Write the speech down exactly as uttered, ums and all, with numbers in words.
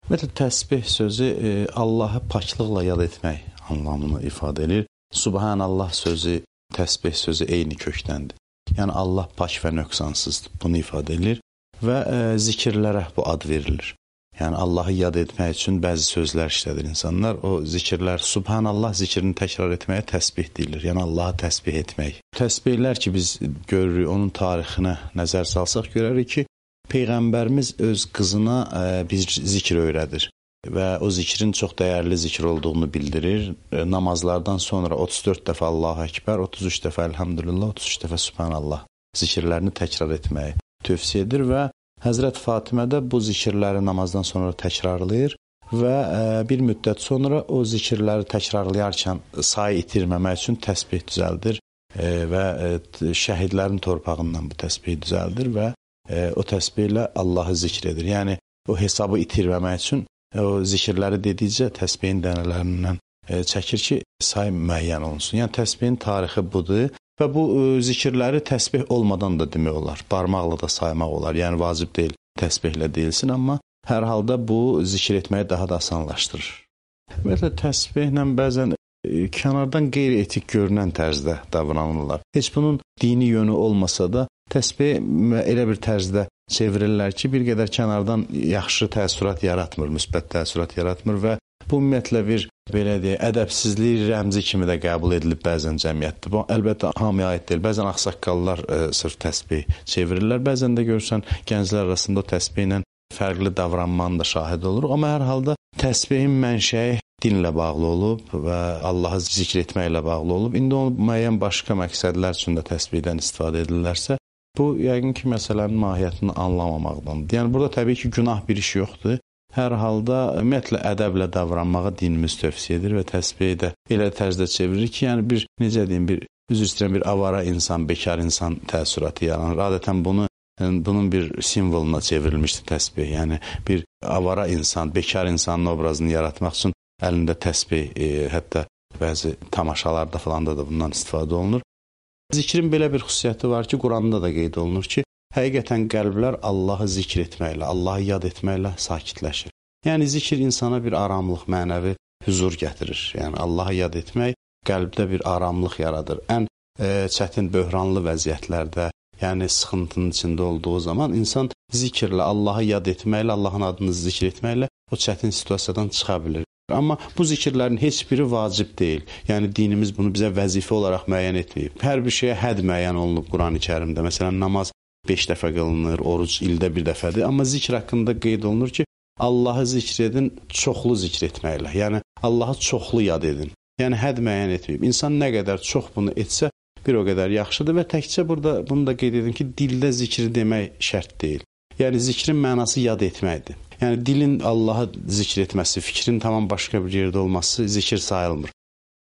Ümumiyyətlə, təsbih sözü e, Allahı paçlıqla yad etmək anlamını ifadə edir. Subhanallah sözü, təsbih sözü eyni kökdəndir. Yəni, Allah paç və nöqsansızdır. Bunu ifadə edir və e, zikirlərə bu ad verilir. Yəni, Allahı yad etmək üçün bəzi sözlər işlədir insanlar. O zikirlər, Subhanallah zikrini təkrar etməyə təsbih deyilir. Yəni, Allahı təsbih etmək. Təsbihlər ki, biz görürük, onun tarixinə nəzər salsaq görərik ki, Peyğəmbərimiz öz qızına e, bir zikr öyrədir və o zikrin çox dəyərli zikr olduğunu bildirir. E, namazlardan sonra otuz dörd dəfə Allahu Əkbər, otuz üç dəfə Elhamdülillah, otuz üç dəfə Subhanallah zikirlərini təkrar etməyi tövsiyə edir və Həzrət Fatimə də bu zikirləri namazdan sonra təkrarlayır və e, bir müddət sonra o zikirləri təkrarlayarkən sayı itirməmək üçün təsbih düzəldir e, və e, şəhidlərin torpağından bu təsbih düzəldir və e, o təsbihlə Allahı zikr edir. Yəni, o hesabı itirməmək üçün e, o zikirləri dedikcə təsbihin dənələrindən e, çəkir ki, say müəyyən olunsun. Yəni, təsbihin tarixi budur. Və bu e, zikirləri təsbih olmadan da demək olar, barmaqla da saymaq olar. Yəni, vacib deyil, təsbihlə deyilsin, amma hər halda bu zikr etməyi daha da asanlaşdırır. Ümumiyyətlə, təsbihlə bəzən e, kənardan qeyri-etik görünən tərzdə davranırlar. Heç bunun dini yönü olmasa da, təsbih elə bir tərzdə çevirirlər ki, bir qədər kənardan yaxşı təəssürat yaratmır, müsbət təəssürat yaratmır və bu ümumiyyətlə bir, belə deyək, ədəbsizlik rəmzi kimi də qəbul edilib bəzən cəmiyyətdə. Bu, əlbəttə, hamıya aid deyil. Bəzən ağsaqqallar e, sırf təsbih çevirirlər. Bəzən də görürsən, gənclər arasında o təsbihlə fərqli davranmanın da şahid oluruq. Amma hər halda təsbihin mənşəyi dinlə bağlı olub və Allahı zikr etməklə bağlı olub. İndi o müəyyən başqa məqsədlər üçün də təsbihdən istifadə edilirlərsə, bu, yəqin ki, məsələnin mahiyyətini anlamamaqdandır. Yəni, burada təbii ki, günah bir iş yoxdur. Hər halda, ümumiyyətlə, ədəblə davranmağı dinimiz tövsiyə edir və təsbihi də elə tərzdə çevirir ki, yəni bir, necə deyim, bir, üzr istəyirəm, bir avara insan, bekar insan təəssüratı yaranır. Adətən bunu, bunun bir simvoluna çevrilmişdir təsbih. Yəni, bir avara insan, bekar insanın obrazını yaratmaq üçün əlində təsbih, e, hətta bəzi tamaşalarda falan da, da bundan istifadə olunur. Zikrin belə bir xüsusiyyəti var ki, Quranda da qeyd olunur ki, həqiqətən qəlblər Allahı zikr etməklə, Allahı yad etməklə sakitləşir. Yəni, zikr insana bir aramlıq, mənəvi hüzur gətirir. Yəni, Allahı yad etmək qəlbdə bir aramlıq yaradır. Ən e, çətin, böhranlı vəziyyətlərdə, yəni sıxıntının içində olduğu zaman insan zikirlə, Allahı yad etməklə, Allahın adını zikr etməklə o çətin situasiyadan çıxa bilir. Amma bu zikirlərin heç biri vacib deyil. Yəni, dinimiz bunu bizə vəzifə olaraq müəyyən etməyib. Hər bir şeyə hədd müəyyən olunub Quran-ı Kərimdə. Məsələn, namaz beş dəfə qılınır, oruc ildə bir dəfədir. Amma zikr haqqında qeyd olunur ki, Allahı zikr edin çoxlu zikr etməklə. Yəni, Allahı çoxlu yad edin. Yəni, hədd müəyyən etməyib. İnsan nə qədər çox bunu etsə, bir o qədər yaxşıdır və təkcə burada bunu da qeyd edin ki, dildə zikri demək şərt deyil. Yəni, zikrin mənası yad etməkdir. Yəni, dilin Allahı zikr etməsi, fikrin tamam başqa bir yerdə olması zikir sayılmır.